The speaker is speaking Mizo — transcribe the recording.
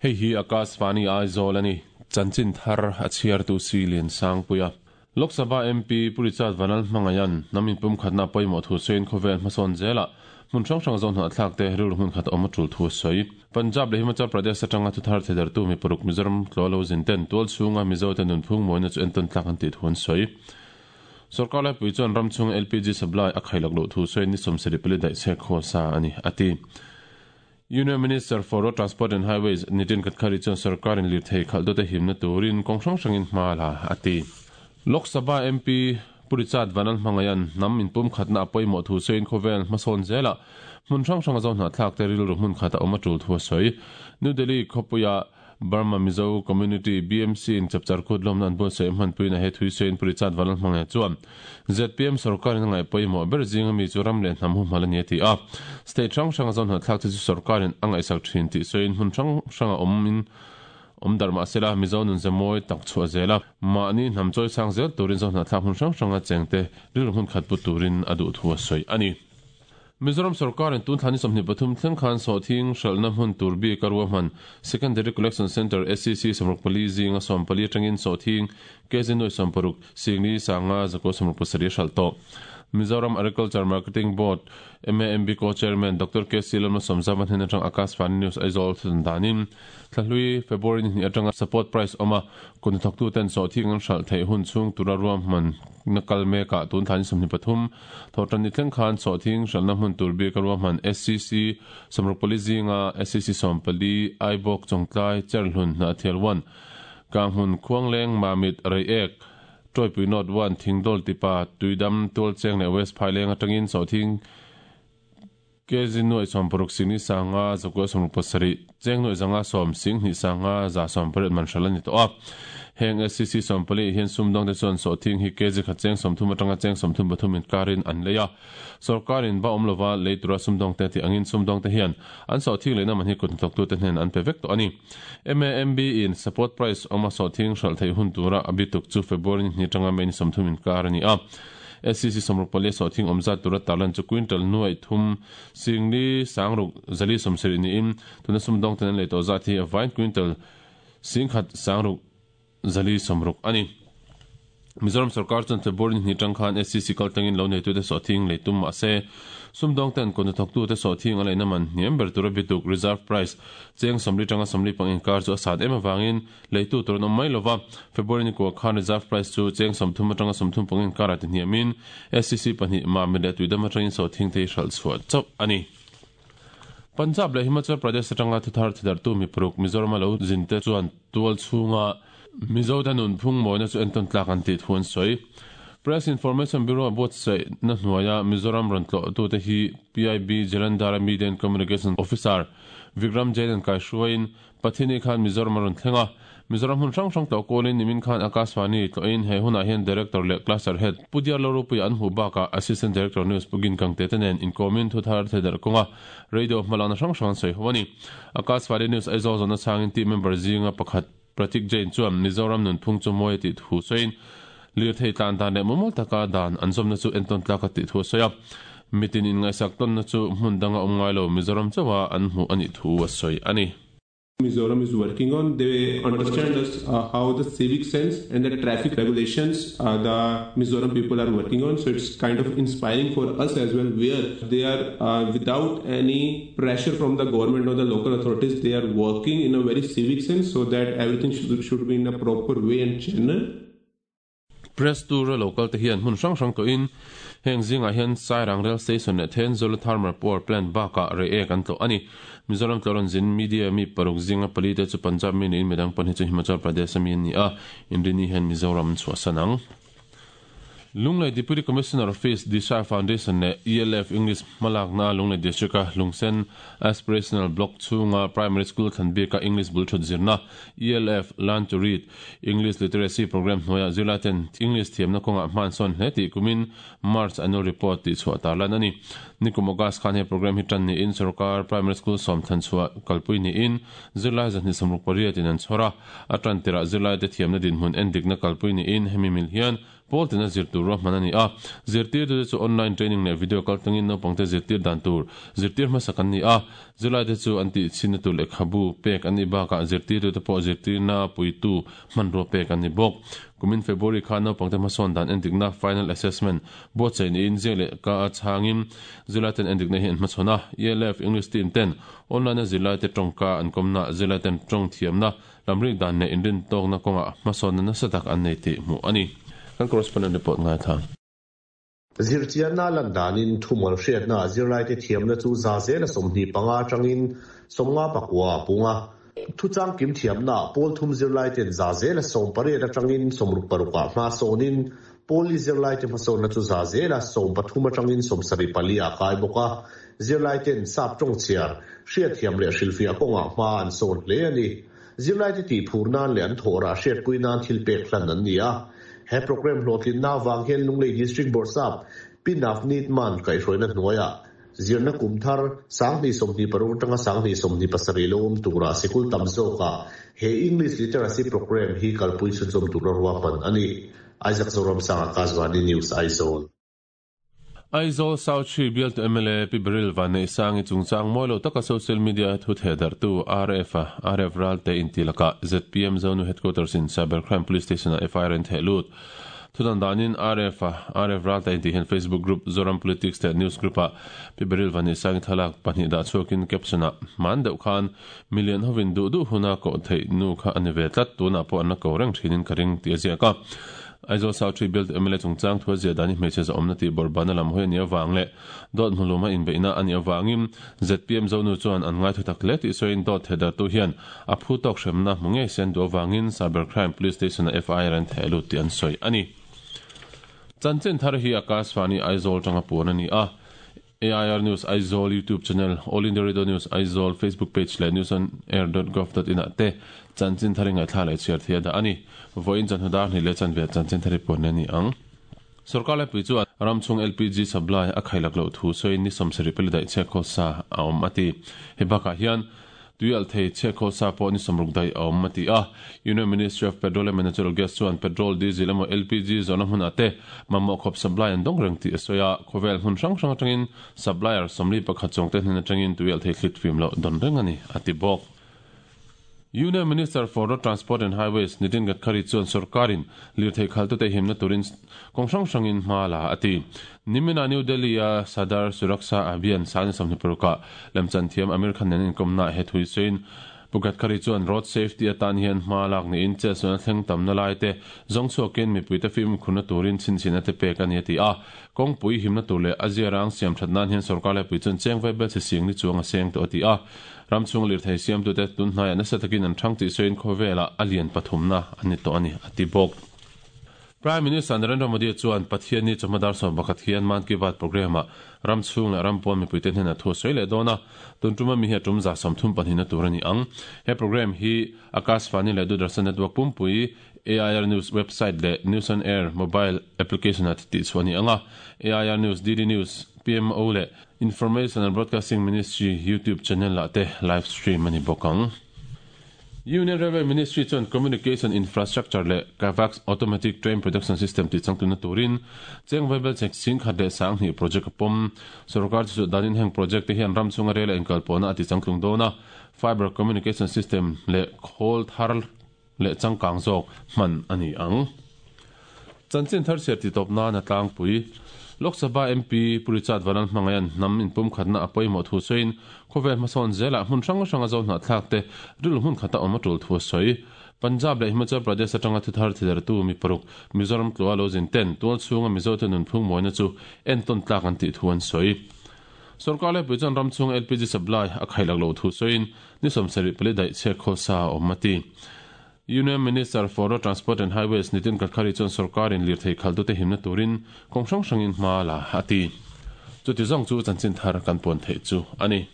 Hei hi Akashvani Aizawl a ni. Chanchin thar a chhiartu si Liansangpuia. Lok Sabha MP Pu Richard Vanlalhmangaian hnam inpumkhatna a pawimawh thu sawiin khawvel hmasawn zelah hmun hrang hrang zawh hnahthlak te rilru hmun khat a awm a tul thu a sawi. Punjab leh Himachal Pradesh atanga thuthar theidartu mi paruk Mizoram tlaw lo zin ten tual chhunga Mizo te nunphung mawina chu entawn tlak an tih thu an sawi. Sorkar laipui chuan ram chhunga LPG supply a khailak loh thu sawiin ni 74 daih chhek haw sa a ni, a ti. Union Minister for Road Transport and Highways Nitin Gadkari chuan sorkarin lirthei khalhtute himna turin kawng hrang hrangin hma a la, a ti. Lok Sabha MP Pu Richard Vanlalhmangaian hnam inpumkhatna a pawimawh thu sawiin khawvel hmasawn zelah hmun hrang hranga zo hnahthlakte rilru hmun khat a awm a tul thu a sawi. New Delhi khawpuia Burma Mizo Community, BMC, in chapchar kut lawmna an buatsaih hmanpuiin a he thui sawiin Pu Richard Vanlalhmangaiha chuan zpm sorkarin a ngaih pawimawh ber zinga mi chu ram leh hnam humhal a ni a ti a. State hrang hranga zo hnahthlak te chu sorkarin a ngaihsak thin tih sawiin hmun hrang hranga awmin awm darh mah sela Mizo nun ze mawi tak chhuah zel a, mahni hnam chawi sang zel turin zo hnahthlak hmun hrang hranga chengte rilru hmun khat pu turin a duh thu a sawi a ni. Mizoram sorkarin tun thla ni 23 thleng khan sawhthing hralhna hmun tur bik a ruahman Secondary Collection Centre, SCC, 64 zinga 14 atangin sawhthing kg nuai 60, singli sanga zakua 67 a hralh tawh. Mizoram Agriculture Marketing Board, MAMB, Co-Chairman Doctor KC Lalmalsawmzama hnen atang Akashvani News Aizawl thudan danin Thlahlui, February ni hnih atanga support price awm a, kut hnathawktuten sawhthing an hralh theih hun chhung tura ruahmanna kal mekah tun thla ni 23, Thawhtan ni thleng khan sawhthing hralhna hmun tur bik a ruahman SCC 64 zinga SCC 14, Aibawk, Chawngtlai, Cherhlun, Hnahthial 1, Kanghmun, Khuangleng, Mamit, Reiek, Tawipui North 1, Thingdawl Tipa, Tuidam, Tualcheng leh West Phaileng atangin sawhthing Kg nuaih 60 singni sanga zakua 67, cheng nuaih zanga sawm singhnih sanga za 18 man hral a ni tawh a. Heng SCC 14 hian sumdawngte chuan sawhthing hi kg khat cheng 30 atanga cheng 33 inkarin an lei a. Sorkarin va awm lova lei tura sumdawngte tih angin sumdawngte hian an sawhthing leina man hi kut hnathawktute hnen an pe vek tawh a ni. MAMB in support price awma sawhthing hralh theih hun tura a bituk chu February ni hnih atanga May ni 30 inkar a ni a. SCC 64 sawhthing awm zat tura tarlan chu quintal nuaih thum singli sangruk zali 70 niin tuna sumdawng ten an lei tawh zat hi a vain quintal singkhat sangruk zali 60 a ni. Mizoram sorkar chuan February ni hnih tang khan SCC kal tlangin lo neitute sawhthing lei tum mah se sumdawng ten kut hnathawktute sawhthing a leina man hniam ber tura bituk reserve price cheng 40 tanga 45 inkar chu a sat em avangin Leitu tur an awm mai lova, February ni kua khan reserve price chu cheng 30 atanga 30 pangin karah ti hniamin SCC pahnih Mamit leh Tuidam atangin sawhthing te hi hralh chhuah chauh a ni. Punjab leh Himachal Pradesh atanga thuthar thidarhtu mi paruk Mizorama lo zinte chuan tual chhunga Mizote nunphung mawina chu entawn tlak an tih thu an sawi. Press Information Bureau buatsaihna hnuaia Mizoram rawn tlawhtute hi PIB Jalandhara Media and Communication Officer Vikram Jain an kaihruaiin Pathini khan Mizoram a rawn thleng a, Mizoram hmun hrang hrang tlawh kualin nimin khan Akashvani tlawhin he hunah hian Director leh Cluster Head Pu Diarlo Ropuia an hmuh bakah Assistant Director News Pu Gin Kangte te nen inkawmin thu thar theidarh kawnga radio hmalakna hrang hrang an sawi ho a ni. Akashvani News Aizawl zawhna chhangin team member zinga pakhat Pratik Jain chuan Mizoram nunphung chu mawi a tih thu sawiin lirthei tlan dan leh mumal taka dan an zawmna chu entawn tlak a tih thu a sawi a. Mitin inngaihsak tawnna chu hmun danga awm ngai lo Mizoram chauha an hmuh a nih thu a sawi a ni. Mizoram is working on, they understand us how the civic sense and the traffic regulations the Mizoram people are working on, so it's kind of inspiring for us as well, where they are without any pressure from the government or the local authorities, they are working in a very civic sense so that everything should be in a proper way and channel. Press tour a lo kal te hian hmun hrang hrang tawhin heng zingah hian Sairang Rail Station leh Thenzawl Thermal Power Plant bakah rei ek an tlawh a ni. Mizoram tlawh zin media mi paruk zinga pali te chu Punjab mi niin midang pahnih chu Himachal Pradesh a mi an ni a, Inrini hian Mizoram an chhuahsan ang. Lunglei Deputy Commissioner Office, Disha Foundation leh ELF English hmalakna Lunglei District-a Lungsen Aspirational Block chhunga Primary School thlan bika English bul thut zirna ELF Learn to Read English Literacy Programme hnuaiah zirlaiten English thiamna kawngah hman sawn hle tih kumin March annual report tih chhuah tarlan a ni. Nikum August khan he programme hi tan niin sorkar primary school sawm thlan chhuah kalpui niin zirlai 268 in an chhawr a, a tan tirah zirlaite thiamna dinhmun endikna kalpui niin hemi mil hian Pawl tina zir tur ruahman a ni a, zirtirtute chu online training leh video kaltlangin naupangte zirtir dan tur zirtir hmasak an ni a, zirlaite chu an tihchhinna tur lehkhabu pek an nih bakah zirtirtute pawh zirtirna puitu hmanrua pek an ni bawk. Kumin February khan naupangte hmasawn dan endikna, final assessment, buatsaih niin ziak leh ka a chhangin zirlaiten endikna hi an hmachhawn a, ELF English team ten online-a zirlaite tawngka an kawmna, zirlaiten tawng thiamna Lamrik dan leh inrintawkna kawngah hmasawnna nasa tak an nei tih hmuh a ni. Kan correspondent report ngaithla. Zirchianna lan danin thumal hriatna zirlaite thiamna chu za zela 25 atangin 59 a pung a. Thuchang kim thiamna pawl thum zirlaiten za zela 18 atangin 66 ah hma sawnin pawl li zirlaite hmasawnna chu za zela 13 atangin 74 ah kai bawk a. Zirlaiten sap tawng chhiar, hriatthiam leh hrilhfiah kawngah hma an sawn hle a ni. Zirlaite tihphur nan leh an thawhrah hriatpui nan thil pek hlan an ni a. He programme hlawhtlinna avang hian Lunglei District Bawrhsap Pi Navneet Mann kaihhruaina hnuaiah zirna kum thar 2026 atanga 2027 lo awm turah sikul tam zawkah he English Literacy Programme hi kalpui chhunzawm tura ruahman a ni. Isaac Zoramsanga, Kazvani News, Aizawl. Aizawl South Hri bialtu mla Pi Beryl Vanneihsangi chungchang mawi lo taka social media a thu thehdarhtu RF a RF Ralte inti lakah zpm Zonu Headquarters in Cyber Crime Police Station ah FIR an theh lut. Thudan danin RF a RF Ralte intih hian Facebook group Zoram Politics leh News group ah Pi Beryl Vanneihsangi thlalak pahnih dah chhuakin caption ah hman deuh khan Million hovin duh duh huna koh theih nu kha a ni ve tlat, tunah pawh an la ko reng thinin ka ring tih a ziak a. Aizawl South Tree Bialtu mla chungchang thu a ziah dan hi hmeichhe zahawmna tih bawrhbana lam hawi a nih avang leh dawt hmuluma inbeihna a nih avangin zpm Zonu chuan an ngaithu tak hle tih sawiin dawt thehdarhtu hian a phu tawk hremna hmu ngei se an duh avangin Cyber Crime Police Station-ah FIR an theh lut tih an sawi a ni. Chanchin thar hi Akashvani Aizawl tanga puan a ni a. AIR News Aizawl YouTube channel, All India Radio News Aizawl Facebook page leh newsonair.gov.in ah te chanchin thar i ngaihthla leh chhiar thei a dah a ni. Vawiin chanhnu dar hnih leh chanve chanchin thar i puan a ni ang. Sorkar laipui chuan ram chhung LPG supply a khailak loh thu sawiin ni 70 pali daih chhiakkhawl sa a awm a ti. Hei bakah hian Tui alh thei chhiatkhawl sa pawh ni 60 daih a awm, a ti a. Union Ministry of Petroleum and Natural Gas chuan petrol, diesel emaw LPG zawhna hmunah te mamawh khawp supply an dawng reng tih a sawi a. Khawvel hmun hrang hrang atangin supplier 41 chuangte hnen atangin tui alh thei thlit fim loh dawn reng a ni, a ti bawk. Union Minister for Road Transport and Highways Nitin Gadkari chuan sorkarin lirthei khaltute himna turin kawng hrang hrangin hma la a ti. Nimina New Delhi-a Sadar Suraksha Abhiyan sangni 26ah lemchan thiam Amir Khan nen inkawmnaah he thu hi sawiin Pu Gadkari chuan road safety atan hian hma lak niin chetsualna thleng tamna laite zawng chhuakin mipuite fimkhurna turin chhinchhina te pek a ni a ti a. Kawngpui himna tur leh a ziarang siam that nan hian sorkar laipui chuan cheng vaibel chhe sing ni chuang a seng tawh a ti a. Ram chhung lirthei siamtute tun hnaiah nasa takin an thang tih sawiin khawvelah a lian pathumna a ni tawh a ni a ti bawk. Prime Minister Narendra Modi chuan Pathianni chawhma dar 11 hian Mann Ki Baat programme-ah ram chhung leh ram pawn mipuite hnenah thu a sawi leh dawn a, tun tuma mi hi a tum 32na tur a ni ang. He programme hi Akashvani leh Doordarshan network pumpui, AIR News website leh News on Air mobile application-ah tihchhuah a ni ang a, AIR News, DD News, PMO leh Information and Broadcasting Ministry YouTube channel-ah te live stream a ni bawk ang. Union Railway Ministry chuan Communication Infrastructure leh Kavaks Automatic Train Protection System tih changtlunna turin cheng vaibel chek 10,020 project a pawm. Sorkar chu chu danin heng project te hian ram chhunga rel a inkalpawhna a ti changtlung dawn a, Fibre Communication System leh khawl thar leh changkang zawk hman a ni ang. Chanchin thar chhiar titawp nan a tlangpui. Lok Sabha MP Pu Richard Vanlalhmangaia'n hnam inpumkhatna a pawimawh thu sawiin khawvel hmasawn zelah hmun hrang hranga zo hnahthlak te rilru hmun khata awm a tul thu a sawi. Punjab leh Himachal Pradesh atanga thuthar thidertu mi paruk Mizoram tlua lo zin ten tual chhunga Mizote nunphung mawina chu entawn tlak an tih thu an sawi. Sorkar laipui chuan ram chhunga LPG supply a khailak loh thu sawiin ni 74 daih chhiatkhawl sa a awm a ti. Union Minister for Road Transport and Highways Nitin Gadkari chuan sorkarin lirthei khalhtute himna turin kawng hrang hrangin hma la a ti. Chuti zawng chu chanchin thar kan puan theih chu a ni.